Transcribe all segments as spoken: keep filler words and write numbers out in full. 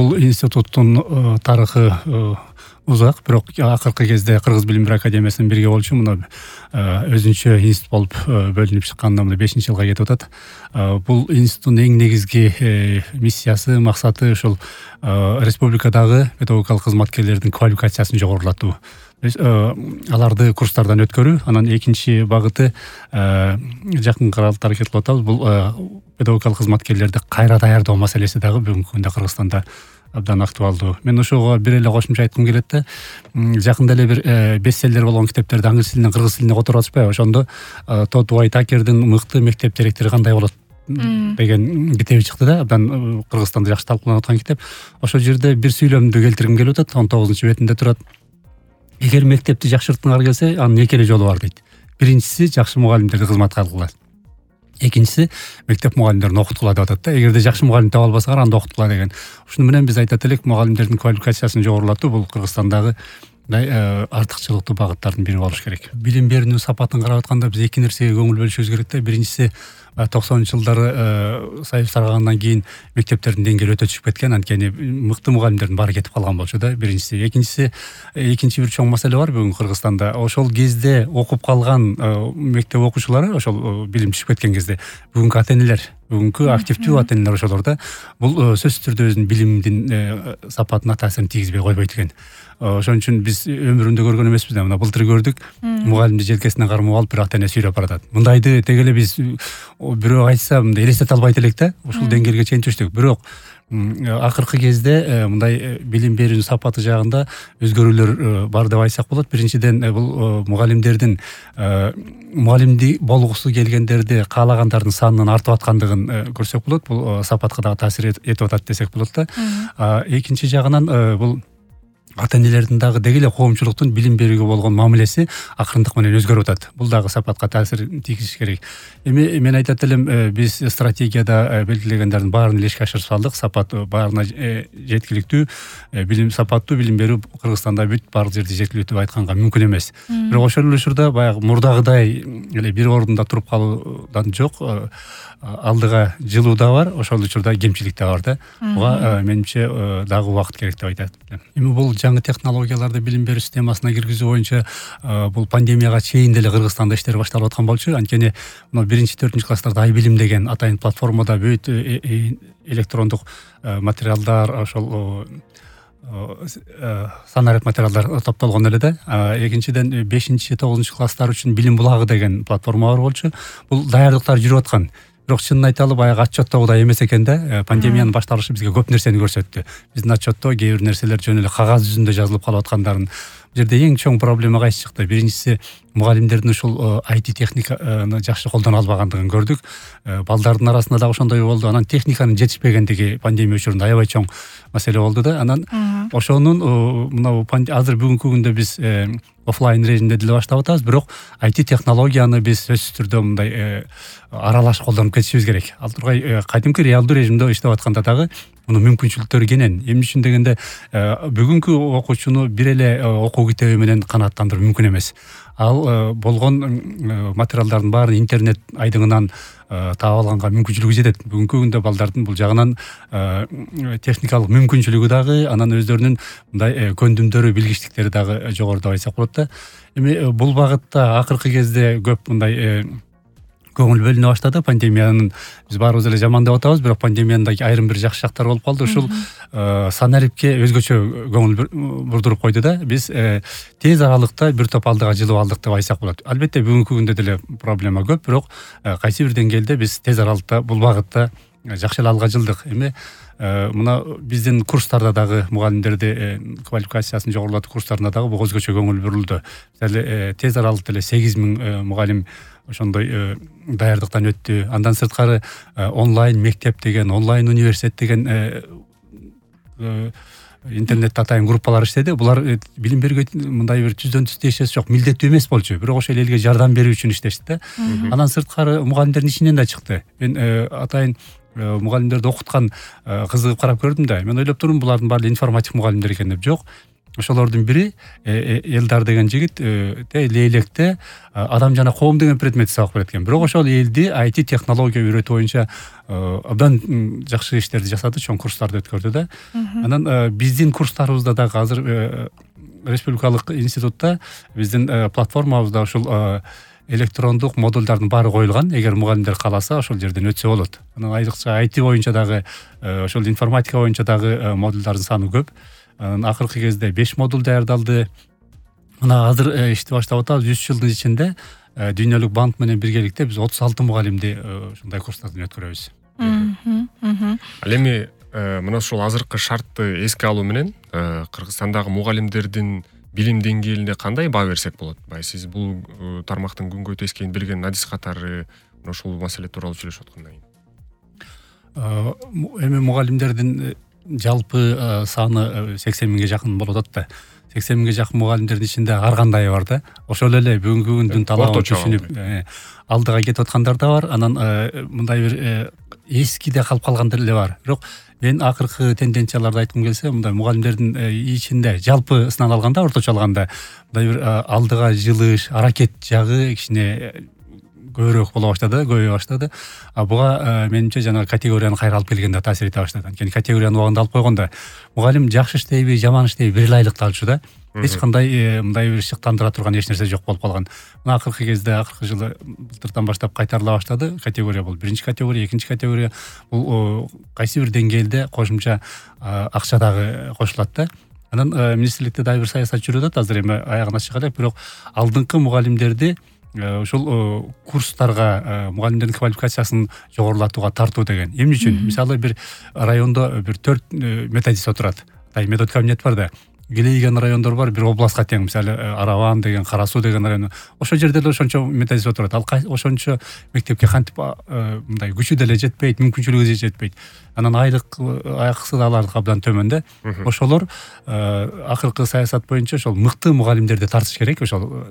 бул институттун тарыхы узак, бирок акыркы кезде Кыргыз билим берүү академиясынын бирге болчу мына өзүнчө институт болуп бөлүнүп чыкканына мына бешинчи жылга кетип атат. Бул институттун эң негизги миссиясы, максаты ушул республикадагы педагогикалык кызматкерлердин квалификациясын жогорулатуу. Аларды курстардан өткөрүү. Анан экинчи багыты жакын аралыкта аракет кылып атабыз. Бул педагогикалык кызматкерлерди кайра даярдоо маселеси дагы бүгүнкү күндө Кыргызстанда абдан актуалдуу. Мен ошого бир эле кошумча айткым келет да. Жакында эле бир бестселлер болгон китептерди англис тилинен кыргыз тилине которуп атышпайбы? Ошондо Тодд Уайтакердин мыкты мектеп директору кандай болот деген китеби чыкты да. Абдан Кыргызстанда жакшы талкууланып аткан китеп. Ошол жерде бир сүйлөмдү келтиргим келип атат. он тогузунчу бетинде турат. Эгер мектепти жакшырткыңар келсе, анын эки эле жолу бар дейт. Биринчиси жакшы мугалимдерди кызматка алгыла. Экинчиси мектеп мугалимдерин окуткула деп атат да. Эгерде жакшы мугалим таба албасаңар, анда окуткула деген. Ушуну менен биз айтат элек, мугалимдердин квалификациясын жогорулатуу бул Кыргызстандагы артыкчылыктуу багыттардын бири болуш керек. Билим берүүнүн сапатын карап атканда биз эки нерсеге көңүл бөлүшүбүз керек да. Биринчиси токсонунчу жылдары Союз тарагандан кийин мектептердин деңгээли өтө түшүп кеткен, анткени мыкты мугалимдердин баары кетип калган болчу да. Биринчиси. Экинчиси, экинчи бир чоң маселе бар бүгүн Кыргызстанда. Ошол кезде окуп калган мектеп окуучулары, ошол билим түшүп кеткен кезде бүгүнкү ата-энелер, бүгүнкү активдүү ата-энелер ошолор да. Бул сөзсүз түрдө өзүнүн билимдин сапатына таасирин тийгизбей койбойт экен. Ошон үчүн биз өмүрүндө көргөн эмеспиз да. Мына былтыр көрдүк, мугалимди желкесинен кармап алып бир ата-эне сүйлөп баратат. Мындайды теге эле биз бирөө айтса мындай элестете албайт элек да. Ушул деңгээлге чейин түштүк. Бирок акыркы кезде мындай билим берүүнүн сапаты жагында өзгөрүүлөр бар деп айтсак болот. Биринчиден бул мугалимдердин мугалимди болгусу келгендерди каалагандардын санынын артып аткандыгын көрсөк болот. Бул сапатка дагы таасир этип атат десек болот да. Экинчи жагынан бул ата-энелердин дагы деги эле коомчулуктун билим берүүгө болгон мамилеси акырындык менен өзгөрүп атат. Бул дагы сапатка таасир тийгизиш керек. Эми мен айтат элем, биз стратегияда белгилегендердин баарын эле ишке ашырып салдык. Сапат баарына жеткиликтүү, билим сапаттуу билим берүү Кыргызстанда бүт баардык жерде жеткиликтүү деп айтканга мүмкүн эмес. Бирок ошол эле учурда баягы мурдагыдай эле бир ордунда туруп калуудан жок, алдыга жылуу да бар, ошол учурда кемчилик да бар да. Буга менимче дагы убакыт керек деп айтат. Эми бул жаңы технологияларды билим берүү системасына киргизүү боюнча бул пандемияга чейин деле Кыргызстанда иштер башталып аткан болчу. Анткени мына биринчи төртүнчү класстарда ай билим деген атайын платформада бүт электрондук материалдар, ошол санарет материалдар топтолгон эле да. Экинчиден бешинчи тогузунчу класстар үчүн билим булагы деген платформа бар болчу. Бул даярдыктар жүрүп аткан. Бирок чынын айталы баягы отчеттогудай эмес экен да. Пандемиянын башталышы бизге көп нерсени көрсөттү. Биздин отчетто кээ бир нерселер жөн эле кагаз жүзүндө жазылып калып аткандарын. Бул жерде эң чоң проблема кайсы чыкты? Биринчиси, мугалимдердин ушул ай ти техниканы жакшы колдоно албагандыгын көрдүк. Балдардын арасында дагы ошондой болду. Анан техниканын жетишпегендиги пандемия учурунда аябай чоң маселе болду да. Анан ошонун мына азыр бүгүнкү күндө биз офлайн режимде деле баштап атабыз, бирок ай ти технологияны биз сөзсүз түрдө мындай аралаш колдонуп кетишибиз керек. Ал тургай кадимки реалдуу режимде иштеп атканда дагы мунун мүмкүнчүлүктөрү кенен. Эмне үчүн дегенде бүгүнкү окуучуну бир эле окуу китеби менен канааттандыруу мүмкүн эмес. Ал болгон материалдардын баарын интернет айдыңынан таап алганга мүмкүнчүлүгү жетет. Бүгүнкү күндө балдардын бул жагынан техникалык мүмкүнчүлүгү дагы, анан өздөрүнүн мындай көндүмдөрү, билгичтиктери дагы жогору деп айтсак болот да. Эми бул багытта акыркы кезде көп мындай көңүл бөлүнө баштады. Пандемиянын биз баарыбыз эле жаман деп атабыз, бирок пандемиянын дагы айрым бир жакшы жактары болуп калды. Ушул санарипке өзгөчө көңүл бурдуруп койду да. Биз тез аралыкта бир топ алдыга жылып алдык деп айтсак болот. Албетте бүгүнкү күндө деле проблема көп, бирок кайсы бир деңгээлде биз тез аралыкта бул багытта жакшы эле алга жылдык. Эми мына биздин курстарда дагы мугалимдерди квалификациясын жогорулатуу курстарында дагы буга өзгөчө көңүл бурулду. Эле тез аралыкта эле сегиз миң мугалим ошондой даярдыктан өттү. Андан сырткары онлайн мектеп деген, онлайн университет деген интернетте атайын группалар иштеди. Булар билим берүүгө мындай бир түздөн түз тиешеси жок, милдеттүү эмес болчу. Бирок ошол элге жардам берүү үчүн иштешти да. Андан сырткары мугалимдердин ичинен да чыкты. Мен атайын мугалимдерди окуткан кызыгып карап көрдүм да. Мен ойлоп турдум, булардын баары информатик мугалимдер экен деп. Жок. ошолордун бири Элдар деген жигит Лейлекте адам жана коом деген предметти сабак берет экен. Бирок ошол элди ай ти технология үйрөтүү боюнча абдан жакшы иштерди жасады, чоң курстарды өткөрдү да. Анан биздин курстарыбызда дагы азыр республикалык институтта биздин платформабызда ушул электрондук модулдардын баары коюлган. Эгер мугалимдер кааласа, ошол жерден өтсө болот. Анан айрыкча ай ти боюнча дагы, ошол информатика боюнча дагы модулдардын саны көп. Анан акыркы кезде беш модуль даярдалды. Мына азыр ишти баштап атабыз. үч жылдын ичинде Дүйнөлүк банк менен биргеликте биз отуз алты мугалимди ушундай курстардан өткөрөбүз. Ал эми мына ушул азыркы шартты эске алуу менен Кыргызстандагы мугалимдердин билим деңгээлине кандай баа берсек болот? Бай сиз бул тармактын күнгө тескейин билген адис катары ушул маселе тууралуу сүйлөшүп аткандан кийин. Эми мугалимдердин жалпы саны сексен миңге жакын болуп атат да. сексен миңге жакын мугалимдердин ичинде ар кандайы бар да. Ошол эле бүгүнкү күндүн талабын түшүнүп алдыга кетип аткандар да бар. Анан мындай бир эскиде калып калгандар эле бар. Бирок мен акыркы тенденцияларды айткым келсе, мындай мугалимдердин ичинде жалпы сынан алганда, орточо алганда мындай бир алдыга жылыш, аракет жагы кичине көбүрөөк боло баштады, көбөйө баштады. А буга менимче жана категорияны кайра алып келгенде таасир эте баштады. Анткени категорияны убагында алып койгондо мугалим жакшы иштейби, жаман иштейби бир эле айлыкты алчу да. Эч кандай мындай бир шыктандыра турган эч нерсе жок болуп калган. Мына акыркы кезде, акыркы жылы былтырдан баштап кайтарыла баштады. Категория бул биринчи категория, экинчи категория. Бул кайсы бир деңгээлде кошумча акча дагы кошулат да. Анан министрликте дагы бир саясат жүрүп атат. Азыр эми аягына чыга элек, бирок алдыңкы мугалимдерди ушул курстарга мугалимдердин квалификациясын жогорулатууга тартуу деген. Эмне үчүн? Мисалы бир райондо бир төрт методист отурат. Метод кабинет бар да. Келейген райондор бар, бир областка тең, мисалы Араван деген, Кара Суу деген район. Ошол жерде эле ошончо методист отурат. Ал ошончо мектепке кантип мындай күчү деле жетпейт, мүмкүнчүлүгү деле жетпейт. Анан айлык акысы да алардыкы абдан төмөн да. Ошолор акыркы саясат боюнча ошол мыкты мугалимдерди тартыш керек. Ошол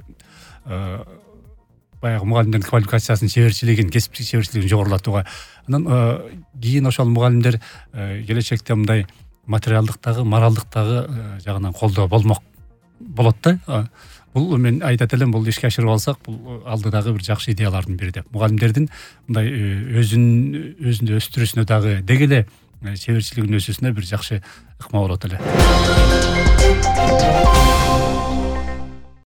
баягы мугалимдердин квалификациясын, чеберчилигин, кесиптик чеберчилигин жогорулатууга. Анан кийин ошол мугалимдер келечекте мындай материалдыктагы, моралдыктагы жагынан колдоо болмок болот да. Бул мен айтат элем, бул ишке ашырып алсак, бул алдыдагы бир жакшы идеялардын бири деп. Мугалимдердин мындай өзүн өзүндө өстүрүүсүнө дагы деги эле чеберчилигин өсүүсүнө бир жакшы ыкма болот эле.